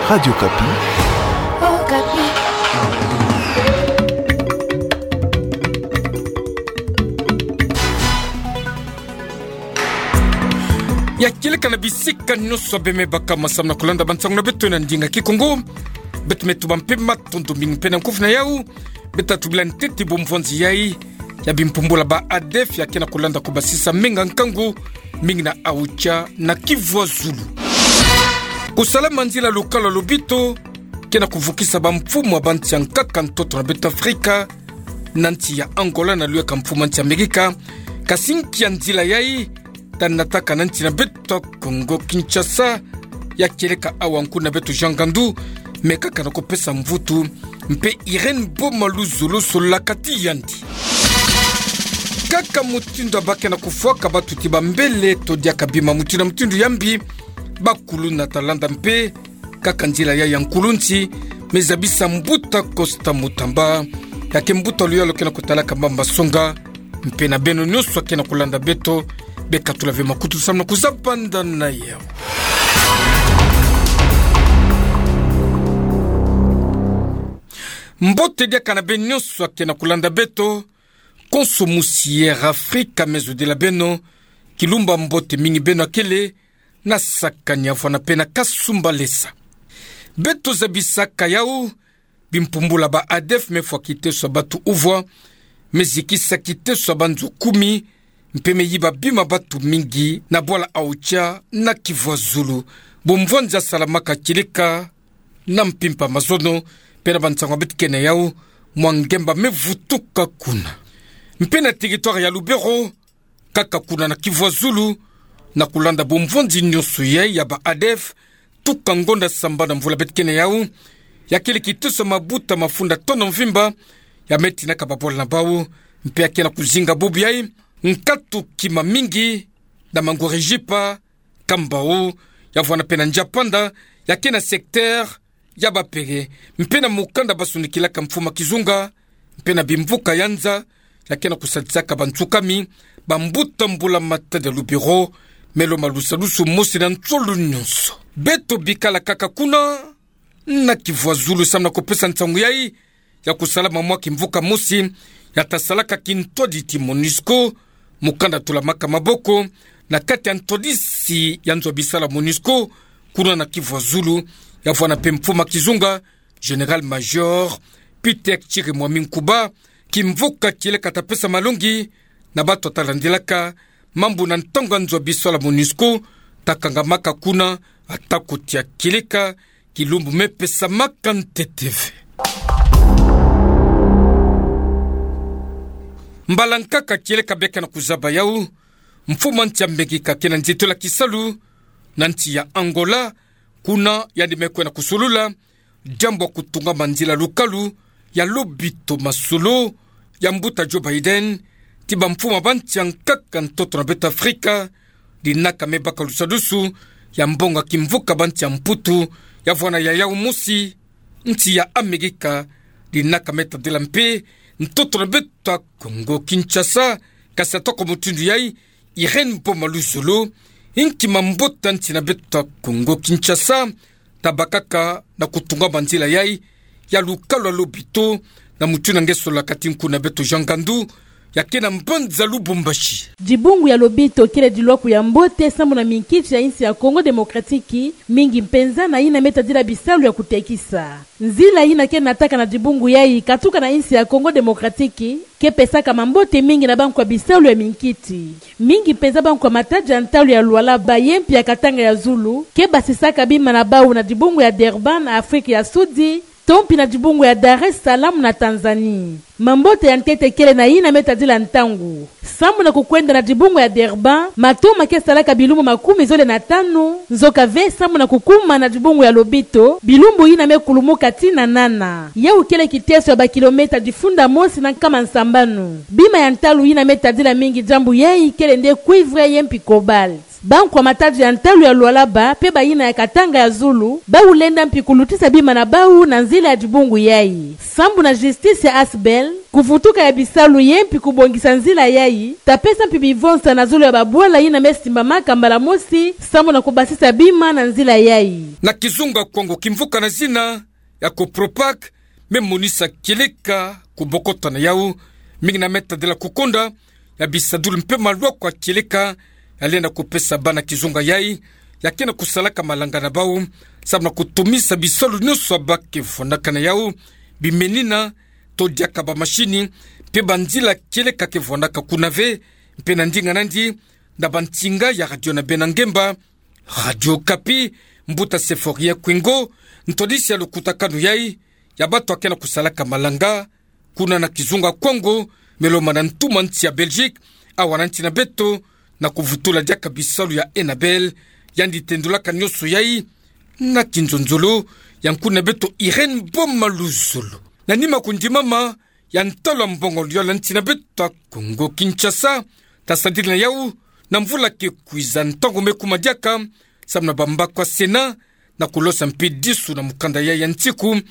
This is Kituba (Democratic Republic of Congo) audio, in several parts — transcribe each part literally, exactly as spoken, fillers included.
Radio Okapi. Okapi. Ya kieleka na bisika nyonso beme baka masamu na kulanda bansangu na beto na ndinga Kikongo. Beto me tuba mpe matondo mingi mpe na nkufi na yau. Beto tubila ntete bomvwanzi yai ya bimpumbula ba ADEF ya ke na kulanda kubasisa menga nkangu mingi na Aocha na Kivu ya Zulu. Kusala manzila lukala lobito ke na kuvukisa bamfumu ya bansi ya nkaka ntoto na beto Afrika, na nsi ya Angola na luyaka mfumu ya nsi Amerika, kasi nki ya nzila yai ta nataka na nsi na beto Kongo Kinshasa, ya kieleka awa nkuna beto Jean Ngandu me kaka na kupesa mvutu, mpe Irène Boma Luzolo solaka ti yandi. Kaka mutindu ya ba ke na kufwaka batuti bambele to diaka bima mutindu na mutindu ya mbi, bakuluna ta landa mpe kaka nzila yai ya nkulunsi, me zabisa mbuta Costa Mutamba, ya ke mbuta luyalu ke na kutalaka mamba songa, mpe na beno nyonso ya ke na kulanda beto, bekatula ve makutu samu na kuzaba nda na yau. Mbote diaka na beno nyonso ya ke na kulanda beto, konso musi Air Afrika me zodila beno, kilumbu ya mbote mingi beno ya kele, na sakani ya vwana mpe na kasumbalesa. Beto zabisaka yau, bimpumbula ba ADEF me fwa kiteso ya batu uvwa, me zikisa kiteso ya banzo kumi, mpe me yiba bima batu mingi na bwala Aocha na Kivu ya Zulu. Bomvwanzi ya salamaka kieleka na mpimpa mazono, mpe na bansangu ya beto ke na yau, mwa ngemba me vutuka kuna. Mpe na territoire ya Lubero, kaka kuna na Kivu ya Zulu, na kulanda bomvwanzi nyonso yai ya ba ADEF, tuka ngonda sambanu na mvula beto ke na yau, ya kele kiteso ya mabuta mafunda tono mvimba, ya me tinaka babwala na bau, mpe ya ke na kuzinga bubu yai, nkatu kima mingi, na Mangorejipa, Kambao, ya vwana mpe na Nzapanda, ya ke na secteur ya Bapere, mpe na mukanda basunikilaka mfuma kizunga, mpe na bimvuka ya nza, ya ke na kusadisaka bantsukami, bambuta mbula matadi ya Lubero, me lomba lusadusu mosi na nsolo nyonso. Beto bikala kaka kuna, na Kivu ya Zulu samu na kupesa nsangu yai, ya kusalama mwa kimvuka mosi, ya ta salaka kintwadisi MONUSCO, mukanda tulamaka maboko, na kati ya ntwadisi ya nzo ya bisalu ya MONUSCO, kuna na Kivu ya Zulu, ya vwana mpe mfuma kizunga, Général-Major Peter Chirimwami Nkuba, kimvuka kieleka ta pesa malongi, na batu ta landilaka mambu na ntangu ya nzo ya bisalu ya MONUSCO, ta kangamaka kuna, ata ko tia kieleka, kilumbu me pesamaka ntete ve. Mbala nkaka kieleka beka na kuzaba yau, mfuma nsi ya Amerika ke na nzitula kisalu, na nsi ya Angola, kuna yandi me kwenda kusulula, diambu ya kutungama nzila lukalu, ya lobito masolo, ya mbuta Joe Biden, ti bamfuma ba nsi ya nkaka ntoto na beto Afrika, dinaka me baka lusadusu, ya mbongo ya kimvuka ba nsi ya Mputu, ya vwana ya yau mosi, nsi ya Amerika, dinaka me tadila mpe, ntoto na beto Kongo Kinshasa, kasi atoko mutindu yai, Irène Boma Luzolo, inki mambota nsi na beto Kongo Kinshasa, ta bakaka na kutungama nzila yai, ya lukalu ya lobito, na mutindu nge solaka ti nkuna beto Jean Ngandu, ya ke na mbanza Lubumbashi. Dibungu ya lobito kele dilwaku ya mbote sambu na minkiti ya insi ya Congo Démocratique, mingi mpenza na yina me tadila bisalu ya kutekisa. Nzila yina ke nataka na dibungu yai katuka na insi ya Congo Démocratique, ke pesaka mambote mingi na banku ya bisalu ya minkiti. Mingi mpenza banku ya matadi ya ntalu ya Lualaba ye mpi ya Katanga ya Zulu, ke basisaka bima na bau na dibungu ya Durban na Afrique ya Sudi, to mpi na dibungu ya Dar es Salaam na Tanzanie. Mambote ya ntete kele na yina me tadila ntangu. Sambu na kukwenda na dibungu ya Durban, matoma ke salaka bilumbu makumi zole na tanu, nzoka ve sambu na kukuma na dibungu ya lobito, bilumbu yina me kulumuka tii na nana. Yau kele kiteso ya bakilometa difunda mosi na nkama nsambanu. Bima ya ntalu yina me tadila mingi diambu yai kele nde cuivre ye mpi cobalt. Bankwa matatu ya ntalu ya Lualaba pe bayina ya Katanga ya zulu, bau lenda mpi kulutisa bima na bau na nzila ya dibungu yayi. Sambu na justice ya Asbel, kuvutuka ya bisalu ye mpi kubongisa nzila yayi, ta pesa mpi bivonsa na zulu ya babwala yina me simbamaka mbala mosi, sambu na kubasisa bima na nzila yayi. Na kizunga Kongo, kimvuka na zina ya Copropac me monisa kieleka kubokotana yau, mingi na me tadila kukonda ya bisadulu mpe malwako ya kieleka ya lenda kupesa bana kizunga yayi, ya ke na kusalaka malanga na bau, sambu na kutumisa bisalu nyonso ya bake vwandaka na yau, bimenina, to diaka bamasini, mpe banzila kieleka ke vwandaka kuna ve, mpe na ndinga nandi, na bansinga ya radio na bena ngemba, Radio Okapi, mbuta Symphorien Kouingo, ntwadisi ya lukutakanu yayi ya batu ya ke na kusalaka malanga kuna na kizunga Kongo, me lomana na ntu ma nsi ya Belgique, awa na nsi na beto, na kuvutula diaka bisalu ya Enabel, yandi tendulaka nyonso yayi, na kinzonzolo ya nkuna beto Irène Boma Luzolo. Na nima kundimama ya ntalu ya mbongo luyole ya nsi na beto ya Kongo Kinshasa, ta sadila na yau na mvula ke kwiza, ntangu me kuma diaka, sambu na bambaku ya Sénat, na kulosa mpi disu na mukanda yayi ya nsiku,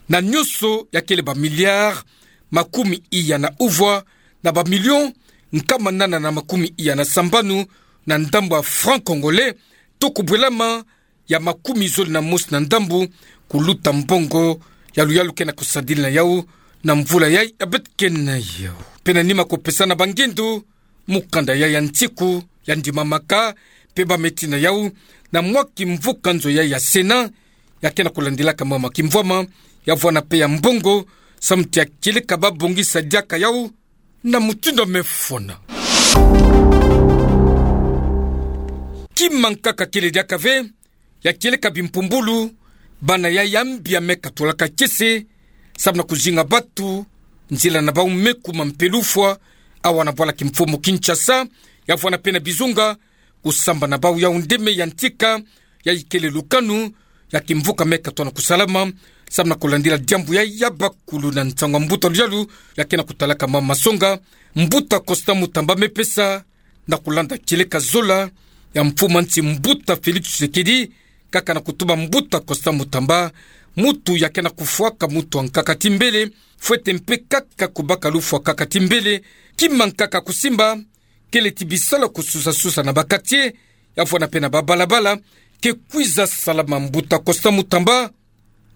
na nyonso ya kele ba milliards makumi iya na uvwa, na ba millions nkama nana na makumi iya na sambanu na ndambu ya francs congolais, to kubwelama ya makumi zole na mosi na ndambu, kuluta mbongo ya luyalu ke na kusadila na yau na mvula yayi ya beto ke na yau. Mpe na nima kupesana bangindu, mukanda yayi ya nsiku ya ndimamaka, mpe bameti na yau na mwa kimvuka nzo yayi ya Sénat, ya ke na kulandilaka mama kimvwama ya vwanda mpe ya mbongo, sambu ti ya kieleka babongisa diaka yau na mutindu me fwana. Kima nkaka kele diaka ve, ya kieleka bimpumbulu, bana yayi ya mbi ya me katulaka kiese, sambu na kuzinga batu, nzila na bau me kuma mpe lufwa, awa na bwala kimfumu Kinshasa, ya vwanda mpe na bizunga, kusamba na bau yau nde me yantika, yayi kele lukanu ya kimvuka me katona kusalama, sambu na kulandila diambu yayi ya bakulu na nsangu ya mbuta luyalu ya ke na kutalaka mama masonga, mbuta Constant Mutamba me pesa, na kulanda kieleka zola ya mfumu a nsi mbuta Félix Tshisekedi, kaka na kutuba mbuta Constant Mutamba, mutu ya ke na kufwaka mutu ya nkaka ti mbele, fwete mpe kaka kubaka lufwa kaka ti mbele, kima nkaka kusimba, kele ti bisalu ya kususasusa na ba quartier, ya vwanda mpe na babalabala, ke kwiza salama. Mbuta Constant Mutamba,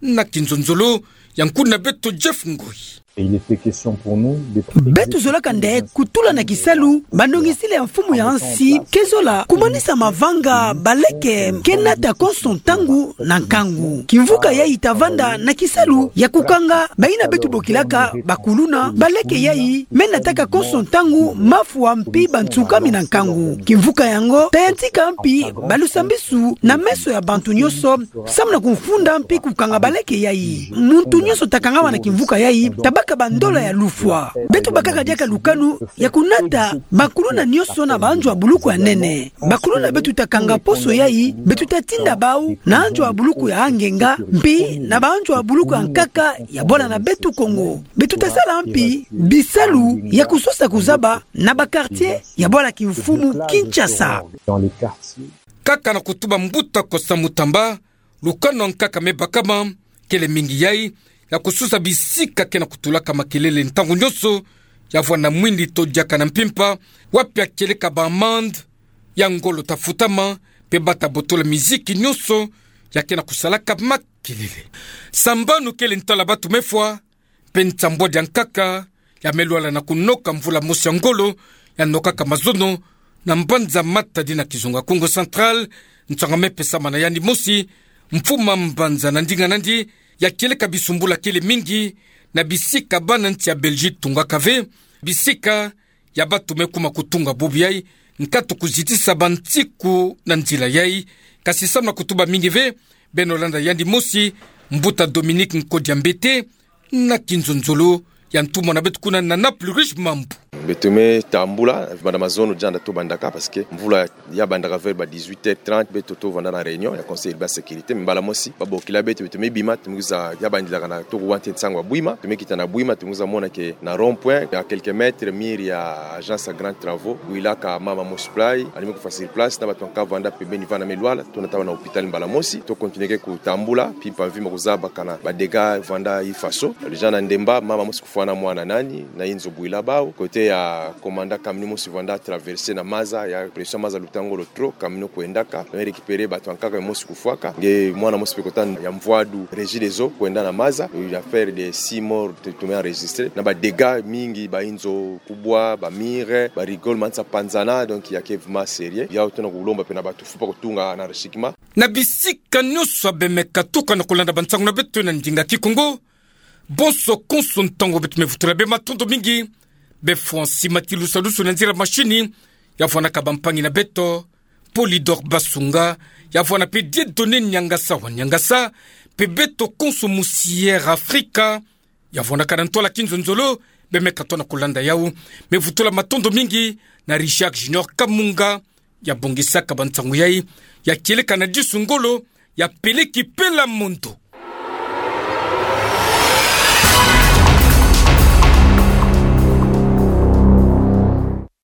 na kinzonzolo ya nkuna beto Jeff Ngoyi. Et il était question pour nous de... Beto zolaka nde kutula na kisalu banongisili ya mfumu ya nsi, ke zola kumanisa mavanga baleke ke nata konso ntangu na nkangu. Kimvuka yayi ta vanda na kisalu ya kukanga bayina beto bokilaka bakuluna, baleke yayi me nataka konso ntangu mafwa mpi bansukami na nkangu. Kimvuka yango ta yantika mpi balusambisu na meso ya bantu nyonso, sambu na kufunda mpi kukanga baleke yayi. Muntu nyonso ta kangama na kimvuka yayi ta baka bandola ya lufwa. Beto bakaka diaka lukanu ya kunata bakuluna nyonso na banzo ya buluku ya nene. Bakuluna beto ta kanga poso yayi, beto ta tinda bau na nzo ya buluku ya ngenga, mpi na banzo ya buluku ya nkaka ya bwala na beto Kongo. Beto ta sala mpi bisalu ya kusosa kuzaba na ba quartier ya bwala kimfumu Kinshasa. Dans les quartiers. Kaka na kutuba mbuta Constant Mutamba, lukanu ya nkaka me bakama, kele mingi yayi ya kusosa bisika ke na kutulaka makelele ntangu nyonso, ya vwanda mwindi to diaka na mpimpa, wapi ya kieleka ba amende ya ngolo ta futama, mpe bata botola miziki nyonso ya ke na kusalaka makelele. Sambanu kele ntwala batu me fwa, mpe nsambwadi ya nkaka ya me lwala na kunoka mvula mosi ya ngolo ya nokaka mazono na mbanza Matadi na kizunga Kongo Central, nsanga me pesama na yandi mosi mfumu a mbanza, na ndinga nandi ya kieleka bisumbula kele mingi na bisika bana nsi ya Belgique tungaka ve, bisika ya batu me kuma kutunga bubu yayi, nkatu kuzitisa bansiku na nzila yayi. Kasi samu na kutuba mingi ve, beno landa yandi mosi, mbuta Dominique Nkodia Mbete, na kinzonzolo ya ntumwa na beto kuna na Naples, Rich Mambu. Beto me tambula, banda mazono dianda tobandaka, parce que mvula ya bandaka vers ba dix-huit heures trente, beto tovanda na réunion ya Conseil urbain sécurité, mbala mosi babokila beto, beto me bima, tomi kwiza ya bandilaka na toko wante nsangu ya Bouima, tomi kita na Bouima, tomi kwiza mona que na rond-point, à quelques mètres, mur ya agence ya Grand Travaux, bwilaka mama mosi pulai, yandi me kufa sur place, na bato bankaka vanda pembeni vanda me lwala, tona taba na hôpital mbala mosi, to continuer ke kutambula, mpimpa mvimba kuzabaka na ba dégâts vanda ifaso. Déjà na Ndemba, mama mosi kufwana mwana nani, na inzo bwila bawu. Côté ya Komanda, camion mosi vanda traverser na maza, ya pression maza luta ngolo trop, camion kwendaka, me récupérer bato bankaka, mosi kufwaka. Nge mwana mosi mpe kota ya mvwadu Regideso kwenda na maza, une affaire de six morts, to-, tomi enregistrer. Na ba dégâts mingi, ba inzo kubwa, ba mur, ba rigole mansa panzana, donc ya ke vraiment sérieux. Yawu tona kulomba mpe na bato fupa kutunga na recyclement. Na bisika nyonso bemeka tuka na kulanda bansangu na beto na ndinga Kikongo, bonso konso ntangu beto me vutula bê matondo mingi. Bê Francis Matilusa Lusu na nzila machine, ya vwanaka bampangi na beto, Polydor Basunga, ya vwana mpe Dieudonné Niangasa wa Niangasa, mpe beto konso musi Air Africa, ya vwanaka na ntwala kinzonzolo, bemeka tona kulanda yawu. Me vutula matondo mingi na Richard Junior Kamunga, ya bongisaka bansangu yayi, ya kieleka na disu ngolo, ya peleki pela mondo.